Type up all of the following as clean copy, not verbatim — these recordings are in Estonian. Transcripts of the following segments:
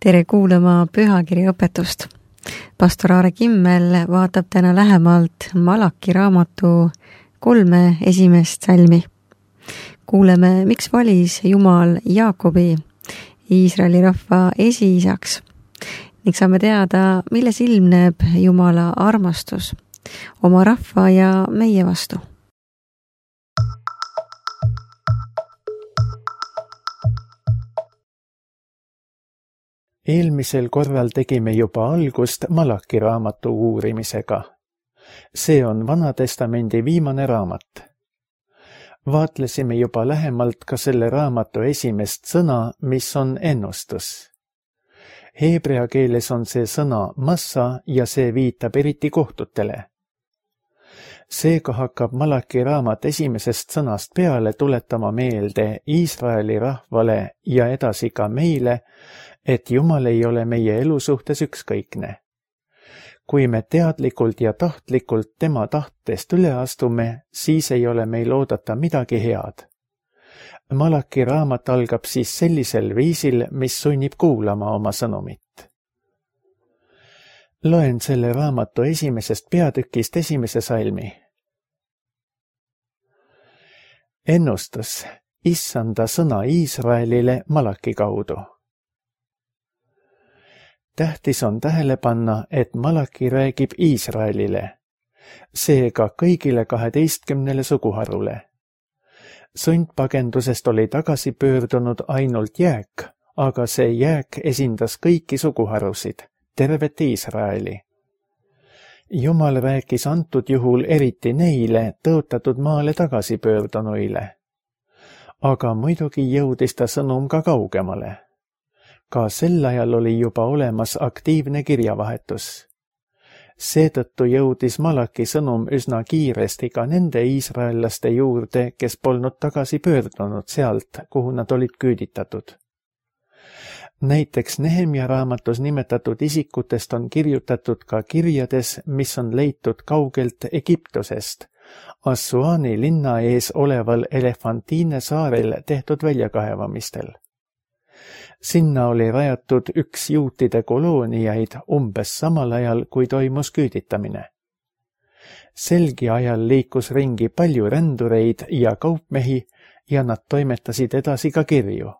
Tere kuulama pühakirja õpetust. Pastor Aare Kimmel vaatab täna lähemalt Malaki raamatu 3 esimest salmi. Kuuleme, miks valis Jumal Jaakobi Iisraeli rahva esiisaks ning saame teada, milles ilmneb Jumala armastus oma rahva ja meie vastu. Eelmisel korral tegime juba algust Malaki raamatu uurimisega. See on Vanatestamendi viimane raamat. Vaatlesime juba lähemalt ka selle raamatu esimest sõna, mis on ennustus. Heebrea keeles on see sõna massa ja see viitab eriti kohtutele. Seega hakkab Malaki raamat esimesest sõnast peale tuletama meelde Iisraeli rahvale ja edasi ka meile, et Jumal ei ole meie elu suhtes ükskõikne. Kui me teadlikult ja tahtlikult tema tahtest üle astume, siis ei ole meil oodata midagi head. Malaki raamat algab siis sellisel viisil, mis sunnib kuulama oma sõnumit. Loen selle raamatu esimesest peatükist esimese salmi. Ennustus, Issanda sõna Iisraelile Malaki kaudu. Tähtis on tähele panna, et Malaki räägib Iisraelile, seega kõigile 12 suguharule. Sundpagendusest oli tagasi pöördunud ainult jääk, aga see jääk esindas kõiki suguharusid, tervet Iisraeli. Jumal rääkis antud juhul eriti neile tõotatud maale tagasi pöördunuile. Aga muidugi jõudis ta sõnum ka kaugemale. Ka sel ajal oli juba olemas aktiivne kirjavahetus. Seetõttu jõudis Malaki sõnum üsna kiiresti ka nende iisraellaste juurde, kes polnud tagasi pöördunud sealt, kuhu nad olid küüditatud. Näiteks Nehemja raamatus nimetatud isikutest on kirjutatud ka kirjades, mis on leitud kaugelt Egiptusest, Assuani linna ees oleval Elefantiine saarel tehtud väljakaevamistel. Sinna oli rajatud üks juutide kolooniaid umbes samal ajal, kui toimus küüditamine. Selgi ajal liikus ringi palju rändureid ja kaupmehi ja nad toimetasid edasi ka kirju.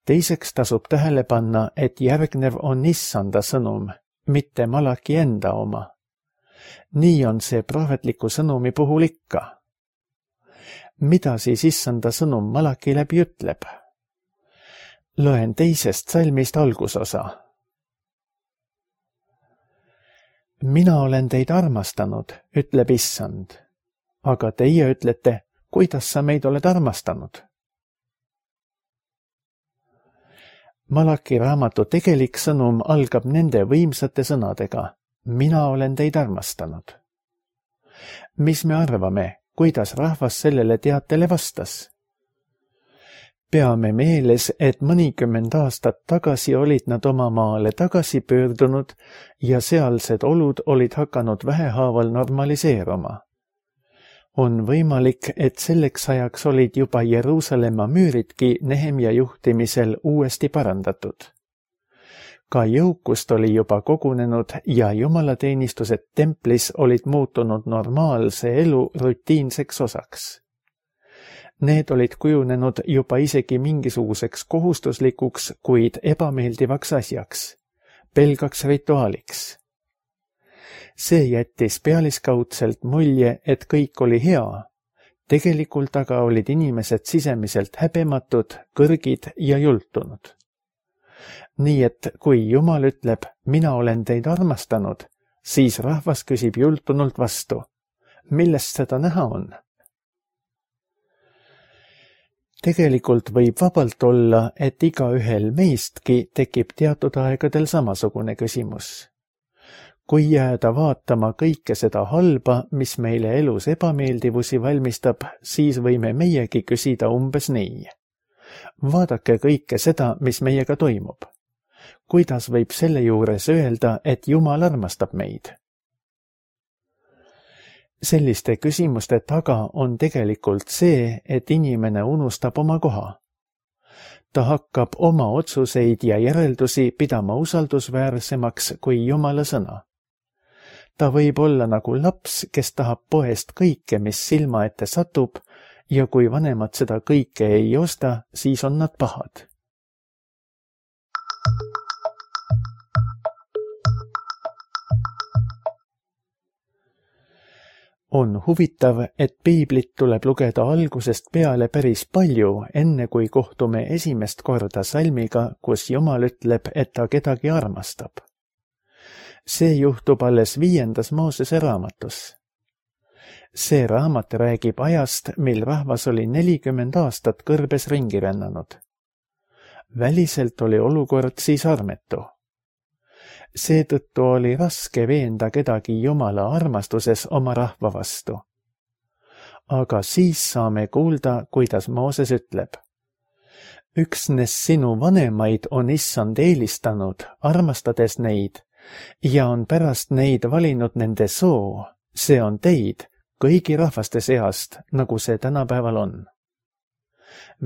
Teiseks tasub tähele panna, et järgnev on Issanda sõnum, mitte Malaki enda oma. Nii on see prohvetliku sõnumi puhul ikka. Mida siis Issanda sõnum Malaki läbi ütleb? Loen teisest salmist algusosa. Mina olen teid armastanud, ütleb Issand. Aga teie ütlete, kuidas sa meid oled armastanud? Malaki raamatu tegelik sõnum algab nende võimsate sõnadega. Mina olen teid armastanud. Mis me arvame, kuidas rahvas sellele teatele vastas? Peame meeles, et mõnikümmend aastat tagasi olid nad oma maale tagasi pöördunud ja sealsed olud olid hakanud vähehaaval normaliseeruma. On võimalik, et selleks ajaks olid juba Jeruusalemma müüridki Nehemja juhtimisel uuesti parandatud. Ka jõukust oli juba kogunenud ja jumalateenistused templis olid muutunud normaalse elu rutiinseks osaks. Need olid kujunenud juba isegi mingisuguseks kohustuslikuks, kuid ebameeldivaks asjaks, pelgaks rituaaliks. See jättis pealiskaudselt mulje, et kõik oli hea. Tegelikult aga olid inimesed sisemiselt häbematud, kõrgid ja jultunud. Nii et kui Jumal ütleb, mina olen teid armastanud, siis rahvas küsib jultunult vastu. Millest seda näha on? Tegelikult võib vabalt olla, et igaühel meistki tekib teatud aegadel samasugune küsimus. Kui jääda vaatama kõike seda halba, mis meile elus ebameeldivusi valmistab, siis võime meiegi küsida umbes nii. Vaadake kõike seda, mis meiega toimub. Kuidas võib selle juures öelda, et Jumal armastab meid? Selliste küsimuste taga on tegelikult see, et inimene unustab oma koha. ta hakkab oma otsuseid ja järeldusi pidama usaldusväärsemaks kui Jumala sõna. Ta võib olla nagu laps, kes tahab poest kõike, mis silma ette satub, ja kui vanemad seda kõike ei osta, siis on nad pahad. On huvitav, et piiblit tuleb lugeda algusest peale päris palju, enne kui kohtume esimest korda salmiga, kus Jumal ütleb, et ta kedagi armastab. See juhtub alles 5. Moosese raamatus. See raamat räägib ajast, mil rahvas oli 40 aastat kõrbes ringi rännanud. Väliselt oli olukord siis armetu. Seetõttu oli raske veenda kedagi Jumala armastuses oma rahva vastu. Aga siis saame kuulda, kuidas Mooses ütleb. Üksnes sinu vanemaid on Issand eelistanud, armastades neid, ja on pärast neid valinud nende soo, see on teid, kõigi rahvaste seast, nagu see tänapäeval on.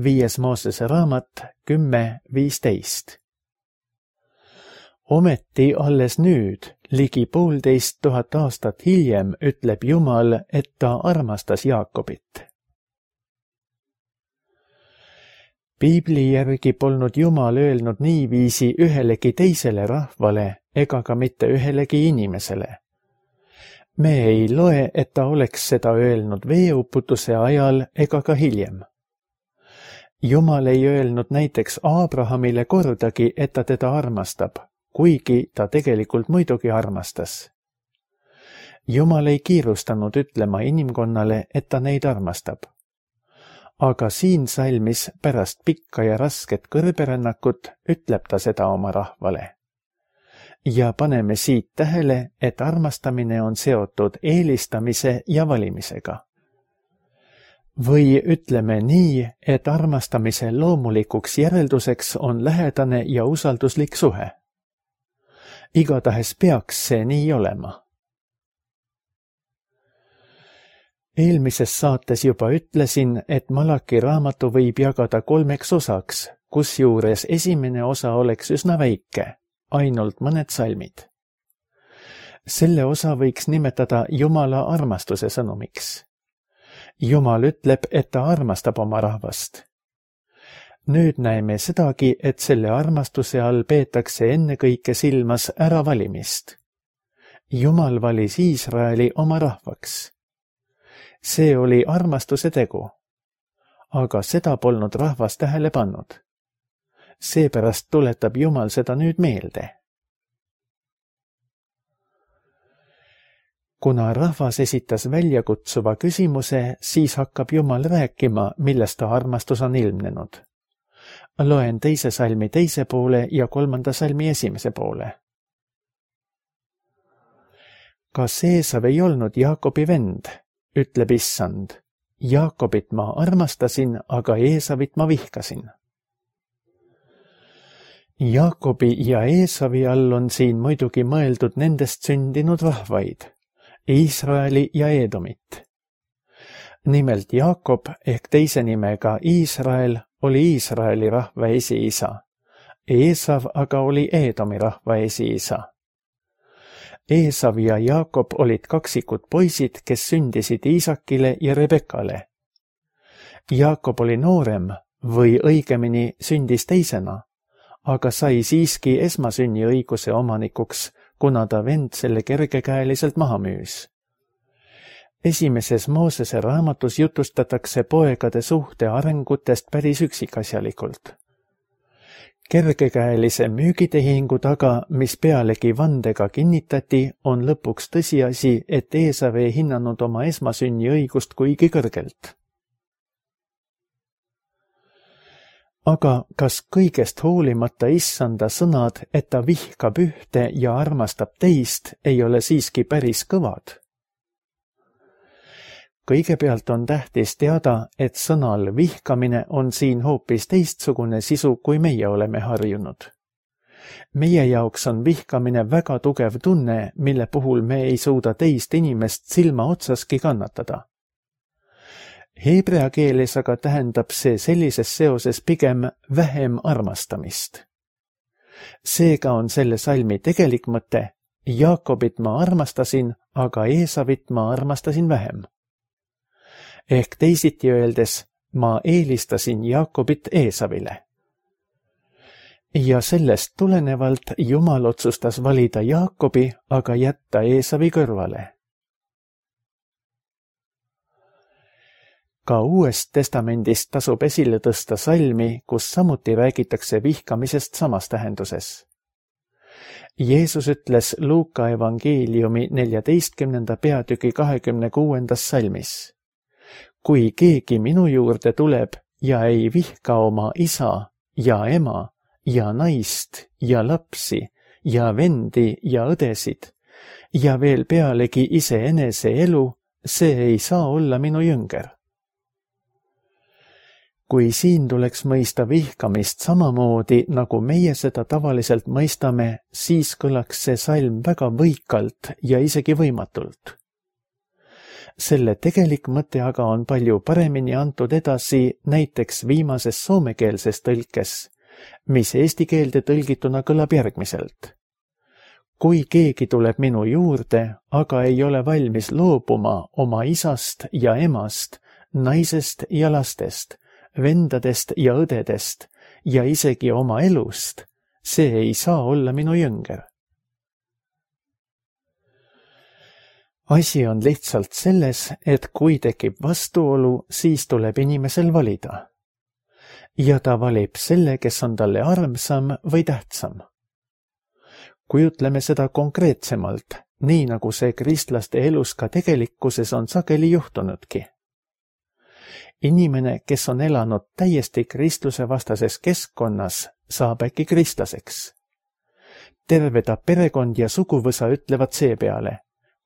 5. Moosese raamat 10:15. Ometi alles nüüd, ligi 1500 aastat hiljem, ütleb Jumal, et ta armastas Jaakobit. Piibli järgi polnud Jumal öelnud niiviisi ühelegi teisele rahvale ega ka mitte ühelegi inimesele. Me ei loe, et ta oleks seda öelnud veeuputuse ajal ega ka hiljem. Jumal ei öelnud näiteks Abrahamile kordagi, et ta teda armastab, kuigi ta tegelikult muidugi armastas. Jumal ei kiirustanud ütlema inimkonnale, et ta neid armastab. Aga siin salmis pärast pikka ja rasket kõrberännakut ütleb ta seda oma rahvale. Ja paneme siit tähele, et armastamine on seotud eelistamise ja valimisega. Või ütleme nii, et armastamise loomulikuks järelduseks on lähedane ja usalduslik suhe. Igatahes peaks see nii olema. Eelmises saates juba ütlesin, et Malaki raamatu võib jagada 3 osaks, kusjuures esimene osa oleks üsna väike, ainult mõned salmid. Selle osa võiks nimetada Jumala armastuse sõnumiks. Jumal ütleb, et ta armastab oma rahvast. Nüüd näeme sedagi, et selle armastuse all peetakse ennekõike silmas äravalimist. Jumal valis Iisraeli oma rahvaks. See oli armastuse tegu, aga seda polnud rahvas tähele pannud. Seepärast tuletab Jumal seda nüüd meelde. Kuna rahvas esitas väljakutsuva küsimuse, siis hakkab Jumal rääkima, millest ta armastus on ilmnenud. Loen 2. salmi 2. poole ja 3. salmi 1. poole. Kas Eesav ei olnud Jaakobi vend, ütleb Issand. Jaakobit ma armastasin, aga Eesavit ma vihkasin. Jaakobi ja Eesavi all on siin muidugi mõeldud nendest sündinud rahvaid, Iisraeli ja Eedomit. Nimelt Jaakob ehk teise nimega Iisrael oli Iisraeli rahva esiisa. Eesav aga oli Eedomi rahva esiisa. Eesav ja Jaakob olid kaksikud poisid, kes sündisid Iisakile ja Rebekale. Jaakob oli noorem või õigemini sündis teisena, aga sai siiski esmasünniõiguse omanikuks, kuna ta vend selle kergekäeliselt maha müüs. 1. Moosese raamatus jutustatakse poegade suhte arengutest päris üksikasjalikult. Kergekäelise müügitehingu taga, mis pealegi vandega kinnitati, on lõpuks tõsiasi, et Eesav ei hinnanud oma esmasünniõigust kuigi kõrgelt. Aga kas kõigest hoolimata Issanda sõnad, et ta vihkab ühte ja armastab teist, ei ole siiski päris kõvad? Kõigepealt on tähtis teada, et sõnal vihkamine on siin hoopis teistsugune sisu, kui meie oleme harjunud. Meie jaoks on vihkamine väga tugev tunne, mille puhul me ei suuda teist inimest silma otsaski kannatada. Heebrea keeles aga tähendab see sellises seoses pigem vähem armastamist. Seega on selle salmi tegelik mõte: Jaakobit ma armastasin, aga Eesavit ma armastasin vähem. Ehk teisiti öeldes, ma eelistasin Jaakobit Eesavile. Ja sellest tulenevalt Jumal otsustas valida Jaakobi, aga jätta Eesavi kõrvale. Ka Uuest Testamendist tasub esile tõsta salmi, kus samuti räägitakse vihkamisest samas tähenduses. Jeesus ütles Luuka evangeeliumi 14. peatüki 26. salmis: Kui keegi minu juurde tuleb ja ei vihka oma isa ja ema ja naist ja lapsi ja vendi ja õdesid ja veel pealegi iseenese elu, see ei saa olla minu jünger. Kui siin tuleks mõista vihkamist samamoodi, nagu meie seda tavaliselt mõistame, siis kõlaks see salm väga võikalt ja isegi võimatult. Selle tegelik mõte aga on palju paremini antud edasi näiteks viimases soomekeelses tõlkes, mis eesti keelde tõlgituna kõlab järgmiselt. Kui keegi tuleb minu juurde, aga ei ole valmis loobuma oma isast ja emast, naisest ja lastest, vendadest ja õdedest ja isegi oma elust, see ei saa olla minu jünger. Asi on lihtsalt selles, et kui tekib vastuolu, siis tuleb inimesel valida. Ja ta valib selle, kes on talle armsam või tähtsam. Kujutleme seda konkreetsemalt, nii nagu see kristlaste elus ka tegelikkuses on sageli juhtunudki. Inimene, kes on elanud täiesti kristluse vastases keskkonnas, saab äkki kristlaseks. Terve ta perekond ja suguvõsa ütlevad seepeale: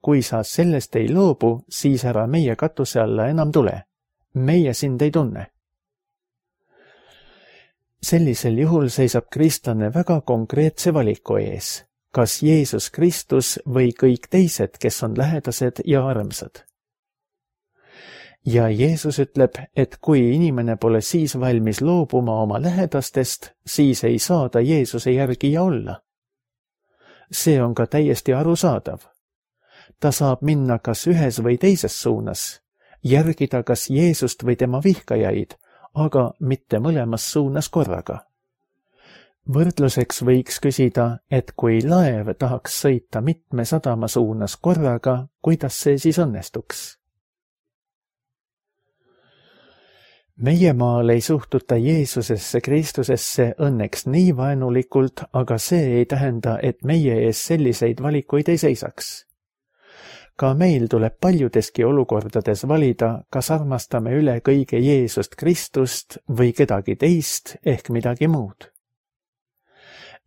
kui sa sellest ei loobu, siis ära meie katuse alla enam tule. Meie sind ei tunne. Sellisel juhul seisab kristlane väga konkreetse valiku ees, kas Jeesus Kristus või kõik teised, kes on lähedased ja armsad. Ja Jeesus ütleb, et kui inimene pole siis valmis loobuma oma lähedastest, siis ei saa ta Jeesuse järgija olla. See on ka täiesti arusaadav. Ta saab minna kas ühes või teises suunas, järgida kas Jeesust või tema vihkajaid, aga mitte mõlemas suunas korraga. Võrdluseks võiks küsida, et kui laev tahaks sõita mitme sadama suunas korraga, kuidas see siis õnnestuks? Meie maal ei suhtuta Jeesusesse Kristusesse õnneks nii vaenulikult, aga see ei tähenda, et meie ees selliseid valikuid ei seisaks. Ka meil tuleb paljudeski olukordades valida, kas armastame üle kõige Jeesust Kristust või kedagi teist ehk midagi muud.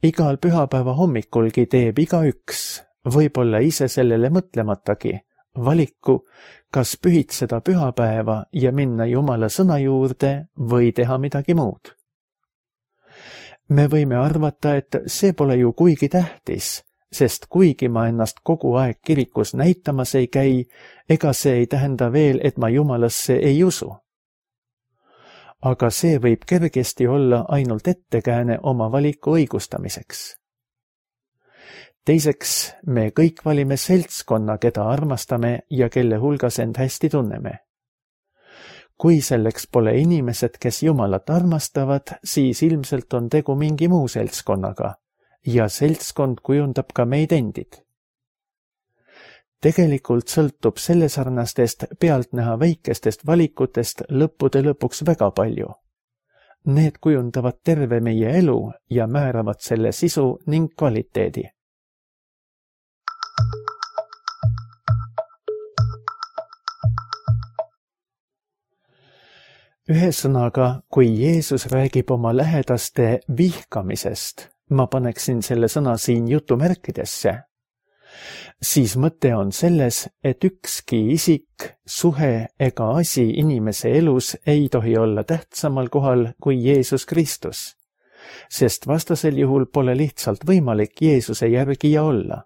Igal pühapäeva hommikulgi teeb igaüks, võib-olla ise sellele mõtlematagi, valiku, kas pühitseda pühapäeva ja minna Jumala sõna juurde või teha midagi muud. Me võime arvata, et see pole ju kuigi tähtis, sest kuigi ma ennast kogu aeg kirikus näitamas ei käi, ega see ei tähenda veel, et ma Jumalasse ei usu. Aga see võib kergesti olla ainult ettekääne oma valiku õigustamiseks. Teiseks, me kõik valime seltskonna, keda armastame ja kelle hulgas end hästi tunneme. Kui selleks pole inimesed, kes Jumalat armastavad, siis ilmselt on tegu mingi muu seltskonnaga ja seltskond kujundab ka meid endid. Tegelikult sõltub sellesarnastest pealtnäha väikestest valikutest lõppude lõpuks väga palju. Need kujundavad terve meie elu ja määravad selle sisu ning kvaliteedi. Ühesõnaga, kui Jeesus räägib oma lähedaste vihkamisest, ma paneksin selle sõna siin jutumärkidesse, siis mõte on selles, et ükski isik, suhe ega asi inimese elus ei tohi olla tähtsamal kohal kui Jeesus Kristus, sest vastasel juhul pole lihtsalt võimalik Jeesuse järgija olla.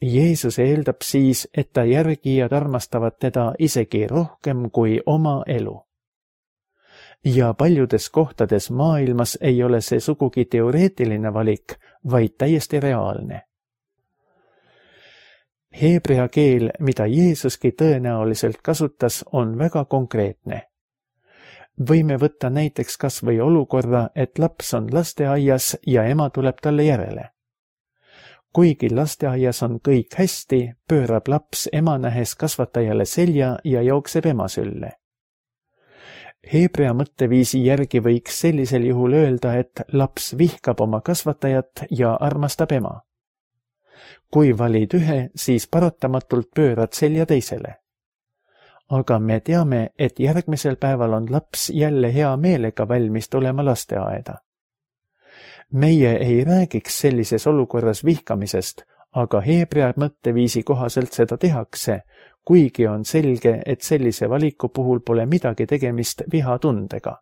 Jeesus eeldab siis, et ta järgijad armastavad teda isegi rohkem kui oma elu. Ja paljudes kohtades maailmas ei ole see sugugi teoreetiline valik, vaid täiesti reaalne. Heebrea keel, mida Jeesuski tõenäoliselt kasutas, on väga konkreetne. Võime võtta näiteks kas või olukorra, et laps on lasteaias ja ema tuleb talle järele. Kuigi lasteaias on kõik hästi, pöörab laps ema nähes kasvatajale selja ja jookseb ema sülle. Heebrea mõtteviisi järgi võiks sellisel juhul öelda, et laps vihkab oma kasvatajat ja armastab ema. Kui valid ühe, siis paratamatult pöörad selja teisele. Aga me teame, et järgmisel päeval on laps jälle hea meelega valmis tulema lasteaeda. Meie ei räägiks sellises olukorras vihkamisest, aga Heebrea mõtteviisi kohaselt seda tehakse, kuigi on selge, et sellise valiku puhul pole midagi tegemist vihatundega.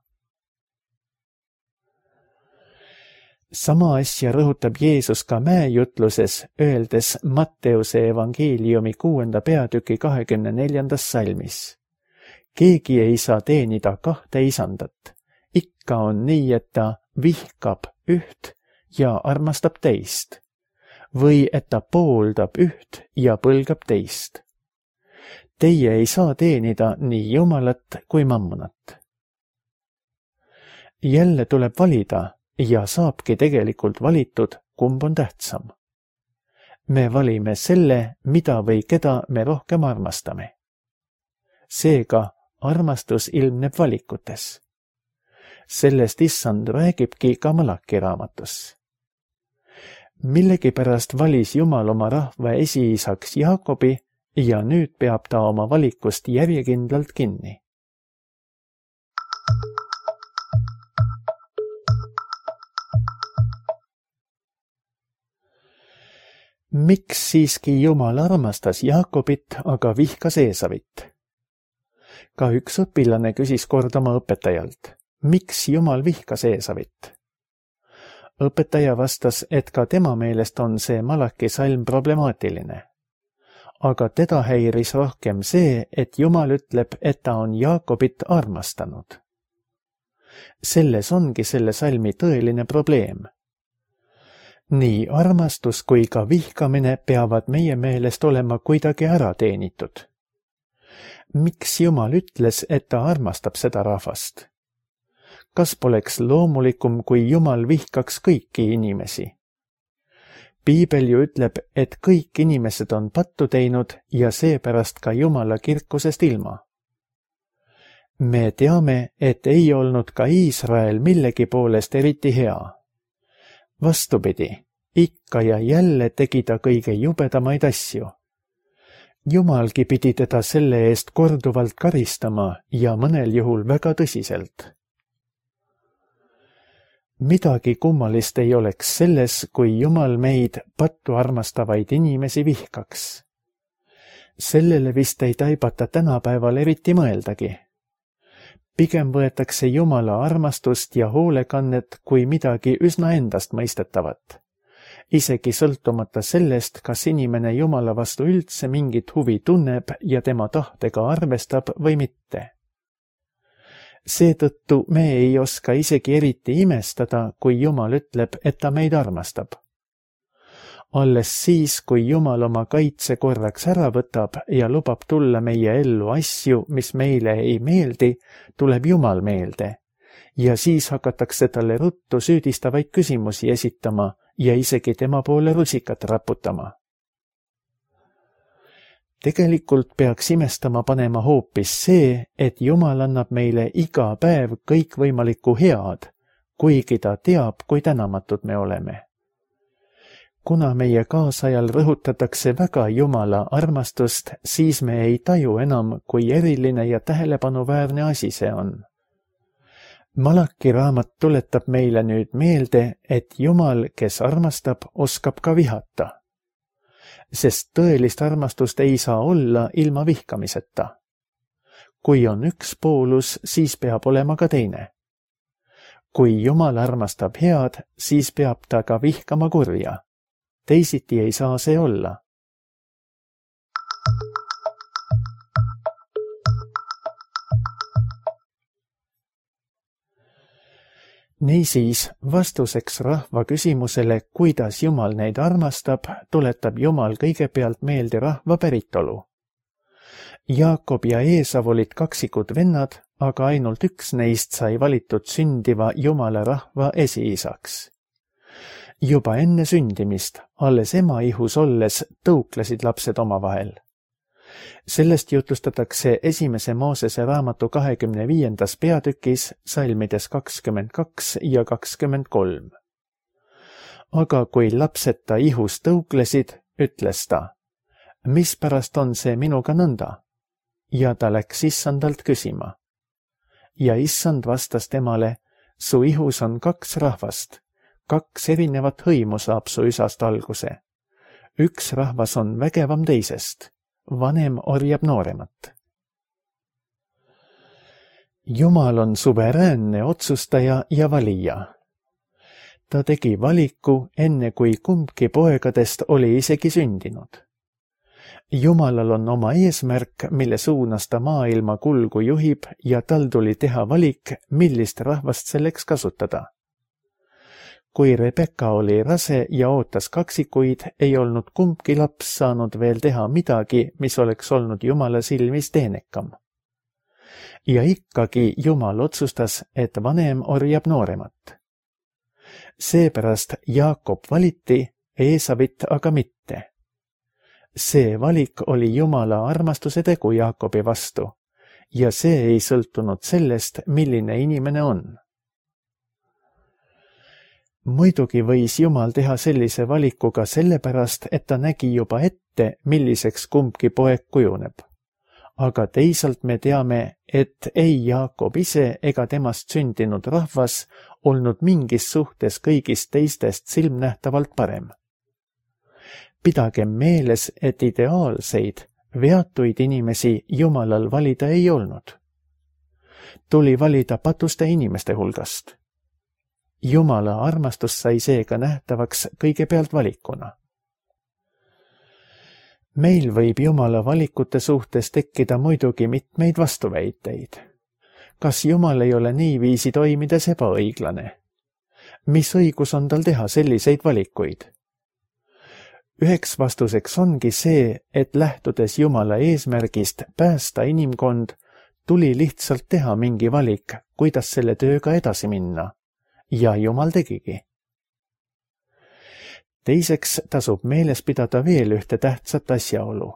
Sama asja rõhutab Jeesus ka mäejutluses, öeldes Matteuse evangeeliumi 6. peatüki 24. salmis. Keegi ei saa teenida 2 isandat. Ikka on nii, et ta vihkab üht ja armastab teist. Või et ta pooldab üht ja põlgab teist. Teie ei saa teenida nii Jumalat kui mammonat. Jälle tuleb valida ja saabki tegelikult valitud, kumb on tähtsam. Me valime selle, mida või keda me rohkem armastame. Seega armastus ilmneb valikutes. Sellest Issand räägibki ka Malaki raamatus. Millegipärast valis Jumal oma rahva esiisaks Jaakobi ja nüüd peab ta oma valikust järjekindlalt kinni. Miks siiski Jumal armastas Jaakobit, aga vihkas Eesavit? Ka üks õpilane küsis kord oma õpetajalt, miks Jumal vihkas Eesavit? Õpetaja vastas, et ka tema meelest on see Malaki salm problemaatiline. Aga teda häiris rohkem see, et Jumal ütleb, et ta on Jaakobit armastanud. Selles ongi selle salmi tõeline probleem. Nii armastus kui ka vihkamine peavad meie meelest olema kuidagi ära teenitud. Miks Jumal ütles, et ta armastab seda rahvast? Kas poleks loomulikum, kui Jumal vihkaks kõiki inimesi? Piibel ju ütleb, et kõik inimesed on pattu teinud ja seepärast ka Jumala kirkusest ilma. Me teame, et ei olnud ka Iisrael millegi poolest eriti hea. Vastupidi, ikka ja jälle tegi ta kõige jubedamaid asju. Jumalgi pidi teda selle eest korduvalt karistama ja mõnel juhul väga tõsiselt. Midagi kummalist ei oleks selles, kui Jumal meid pattu armastavaid inimesi vihkaks. Sellele vist ei taibata tänapäeval eriti mõeldagi. Pigem võetakse Jumala armastust ja hoolekannet kui midagi üsna endastmõistetavat. Isegi sõltumata sellest, kas inimene Jumala vastu üldse mingit huvi tunneb ja tema tahtega arvestab või mitte. Seetõttu me ei oska isegi eriti imestada, kui Jumal ütleb, et ta meid armastab. Alles siis, kui Jumal oma kaitse korraks ära võtab ja lubab tulla meie ellu asju, mis meile ei meeldi, tuleb Jumal meelde. Ja siis hakatakse talle ruttu süüdistavaid küsimusi esitama ja isegi tema poole rusikat raputama. Tegelikult peaks imestama panema hoopis see, et Jumal annab meile iga päev kõikvõimalikku head, kuigi ta teab, kui tänamatud me oleme. Kuna meie kaasajal rõhutatakse väga Jumala armastust, siis me ei taju enam, kui eriline ja tähelepanuväärne asi see on. Malaki raamat tuletab meile nüüd meelde, et Jumal, kes armastab, oskab ka vihata. Sest tõelist armastust ei saa olla ilma vihkamiseta. Kui on üks poolus, siis peab olema ka teine. Kui Jumal armastab head, siis peab ta ka vihkama kurja. Teisiti ei saa see olla. Niisiis, vastuseks rahva küsimusele, kuidas Jumal neid armastab, tuletab Jumal kõigepealt meelde rahva päritolu. Jaakob ja Eesav olid kaksikud vennad, aga ainult üks neist sai valitud sündiva Jumala rahva esiisaks. Juba enne sündimist, alles ema ihus olles, tõuklesid lapsed omavahel. Sellest jutlustatakse 1. Moosese raamatu 25. peatükis salmides 22 ja 23. Aga kui lapsed ta ihus tõuklesid, ütles ta, mispärast on see minuga nõnda? Ja ta läks issandalt küsima. Ja issand vastas temale, su ihus on 2 rahvast, 2 erinevat hõimu saab su isast alguse. Üks rahvas on vägevam teisest. Vanem orjab nooremat. Jumal on suveräänne otsustaja ja valija. Ta tegi valiku enne kui kumbki poegadest oli isegi sündinud. Jumalal on oma eesmärk, mille suunas ta maailma kulgu juhib ja tal tuli teha valik, millist rahvast selleks kasutada. Kui Rebecca oli rase ja ootas kaksikuid, ei olnud kumbki laps saanud veel teha midagi, mis oleks olnud Jumala silmis teenekam. Ja ikkagi Jumal otsustas, et vanem orjab nooremat. Seepärast Jaakob valiti, Eesavit aga mitte. See valik oli Jumala armastuse tegu Jaakobi vastu ja see ei sõltunud sellest, milline inimene on. Muidugi võis Jumal teha sellise valiku ka sellepärast, et ta nägi juba ette, milliseks kumbki poeg kujuneb. Aga teisalt me teame, et ei Jaakob ise ega temast sündinud rahvas olnud mingis suhtes kõigist teistest silmnähtavalt parem. Pidagem meeles, et ideaalseid, veatuid inimesi Jumalal valida ei olnud. Tuli valida patuste inimeste hulgast. Jumala armastus sai seega nähtavaks kõigepealt valikuna. Meil võib Jumala valikute suhtes tekkida muidugi mitmeid vastuväiteid. Kas Jumal ei ole niiviisi toimides ebaõiglane? Mis õigus on tal teha selliseid valikuid? Üheks vastuseks ongi see, et lähtudes Jumala eesmärgist päästa inimkond, tuli lihtsalt teha mingi valik, kuidas selle tööga edasi minna. Ja Jumal tegigi. Teiseks tasub meeles pidada veel ühte tähtsat asjaolu.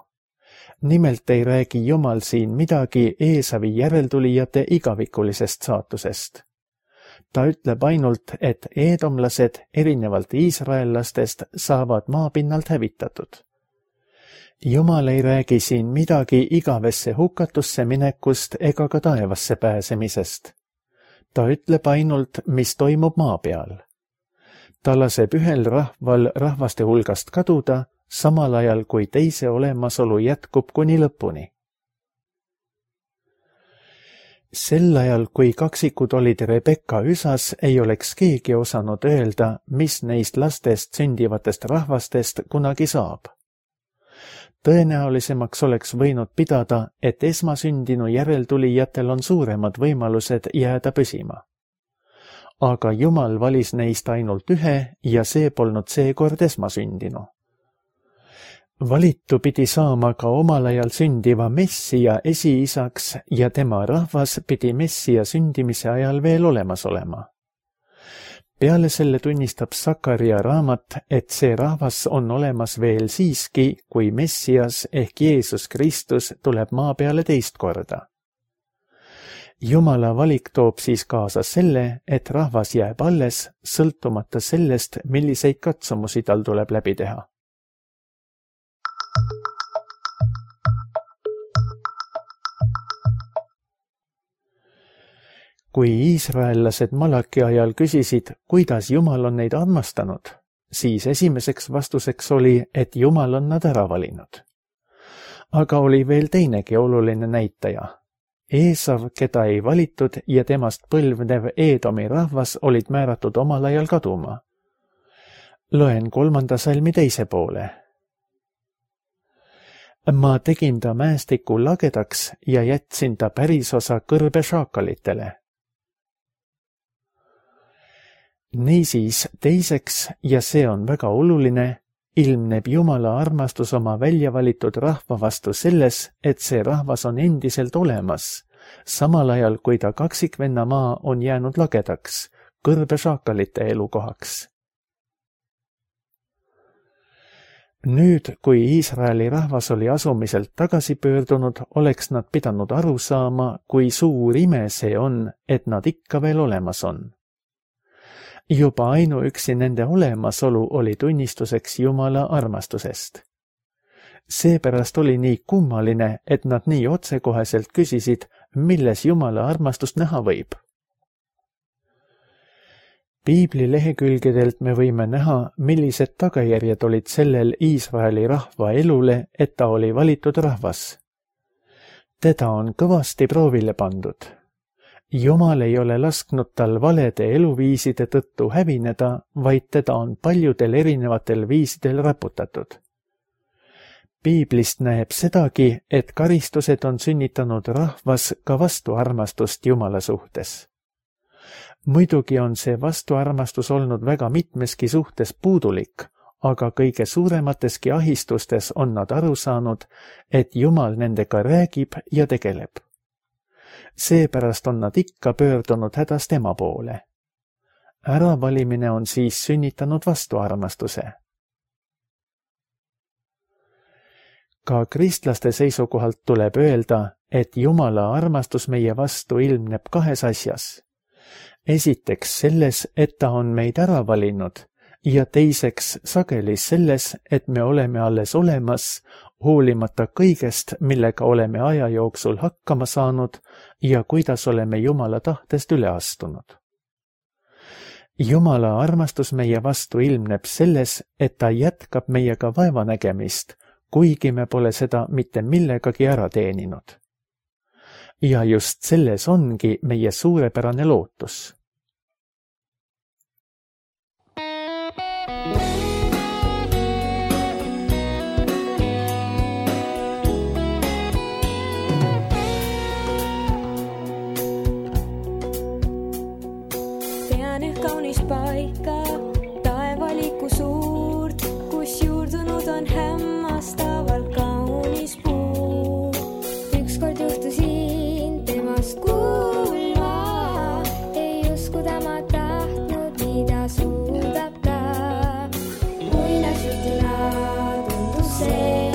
Nimelt ei räägi Jumal siin midagi Eesavi järeltulijate igavikulisest saatusest. Ta ütleb ainult, et eedomlased erinevalt iisraellastest saavad maapinnalt hävitatud. Jumal ei räägi siin midagi igavesse hukatusse minekust ega ka taevasse pääsemisest. Ta ütleb ainult, mis toimub maa peal. Ta laseb ühel rahval rahvaste hulgast kaduda, samal ajal kui teise olemasolu jätkub kuni lõpuni. Sel ajal, kui kaksikud olid Rebecca üsas, ei oleks keegi osanud öelda, mis neist lastest sündivatest rahvastest kunagi saab. Tõenäolisemaks oleks võinud pidada, et esmasündinu järeltulijatel on suuremad võimalused jääda püsima. Aga Jumal valis neist ainult ühe ja see polnud seekord esmasündinu. Valitu pidi saama ka omal ajal sündiva Messia esiisaks ja tema rahvas pidi Messia sündimise ajal veel olemas olema. Peale selle tunnistab Sakaria raamat, et see rahvas on olemas veel siiski, kui Messias ehk Jeesus Kristus tuleb maa peale teist korda. Jumala valik toob siis kaasa selle, et rahvas jääb alles, sõltumata sellest, milliseid katsumusi tal tuleb läbi teha. Kui iisraellased Malaki ajal küsisid, kuidas Jumal on neid armastanud, siis esimeseks vastuseks oli, et Jumal on nad ära valinud. Aga oli veel teinegi oluline näitaja. Eesav, keda ei valitud ja temast põlvnev Eedomi rahvas olid määratud omal ajal kaduma. Loen 3. salmi 2. poole. Ma tegin ta mäestiku lagedaks ja jätsin ta pärisosa kõrbe šaakalitele. Niisiis teiseks, ja see on väga oluline, ilmneb Jumala armastus oma väljavalitud rahva vastu selles, et see rahvas on endiselt olemas, samal ajal kui ta kaksikvenna maa on jäänud lagedaks, kõrbešaakalite elukohaks. Nüüd, kui Iisraeli rahvas oli asumiselt tagasi pöördunud, oleks nad pidanud aru saama, kui suur ime see on, et nad ikka veel olemas on. Juba ainuüksi nende olemasolu oli tunnistuseks Jumala armastusest. Seepärast oli nii kummaline, et nad nii otsekoheselt küsisid, milles Jumala armastust näha võib. Piibli lehekülgedelt me võime näha, millised tagajärjed olid sellel Iisraeli rahva elule, et ta oli valitud rahvas. Teda on kõvasti proovile pandud. Jumal ei ole lasknud tal valede eluviiside tõttu hävineda, vaid teda on paljudel erinevatel viisidel raputatud. Piiblist näeb sedagi, et karistused on sünnitanud rahvas ka vastuarmastust Jumala suhtes. Muidugi on see vastuarmastus olnud väga mitmeski suhtes puudulik, aga kõige suuremateski ahistustes on nad aru saanud, et Jumal nendega räägib ja tegeleb. Seepärast on nad ikka pöördunud hädast ema poole. Äravalimine on siis sünnitanud vastuarmastuse. Ka kristlaste seisukohalt tuleb öelda, et Jumala armastus meie vastu ilmneb kahes asjas. Esiteks selles, et ta on meid ära valinud, ja teiseks sageli selles, et me oleme alles olemas, hoolimata kõigest, millega oleme aja jooksul hakkama saanud ja kuidas oleme Jumala tahtest üle astunud. Jumala armastus meie vastu ilmneb selles, et ta jätkab meiega vaevanägemist, kuigi me pole seda mitte millegagi ära teeninud. Ja just selles ongi meie suurepärane lootus. Paika, taevaliku suurt, kus juurdunud on hämmastavalt kaunis puu. Ükskord juhtusin temast kuulma, ei usku tema tahtnud, mida suudab ta. Muinasjutuna tundus see,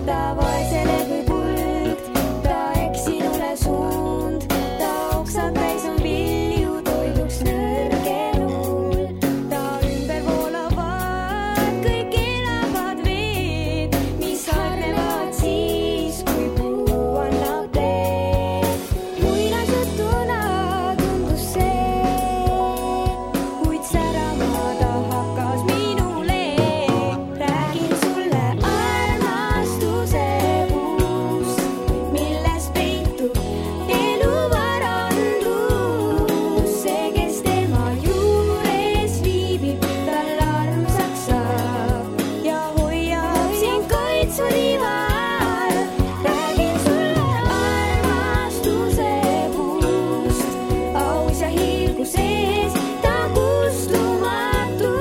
ta vaesele kui kuld, ta eksinule suund, ta oksad täis on vilju toiduks nõrgenul. Ta ümber voolavad kõik elavad veed, mis harnevad siis, kui puu annab teed. Muinasjutuna tundus see, kuid särama ta hakkas minule. Räägin sulle armastuse puust, milles peitub elu varandus. See, kes tema juures viibib, tal armsaks saab ja hoiab sind kaitsuriva all. Räägin sulle armastuse puust, aus ja hiilgu sees, ta kustumatu.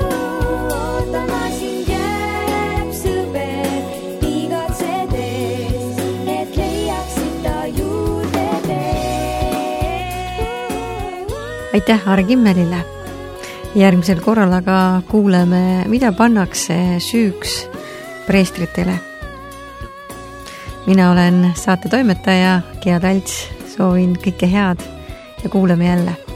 Ootama sind jääb sõber, igatsedes, et leiaksid ta juurde tee. aitäh Aare Kimmelile. Järgmisel korral aga kuuleme, mida pannakse süüks preestritele. Mina olen saate toimetaja Gea Talts, soovin kõike head ja kuuleme jälle.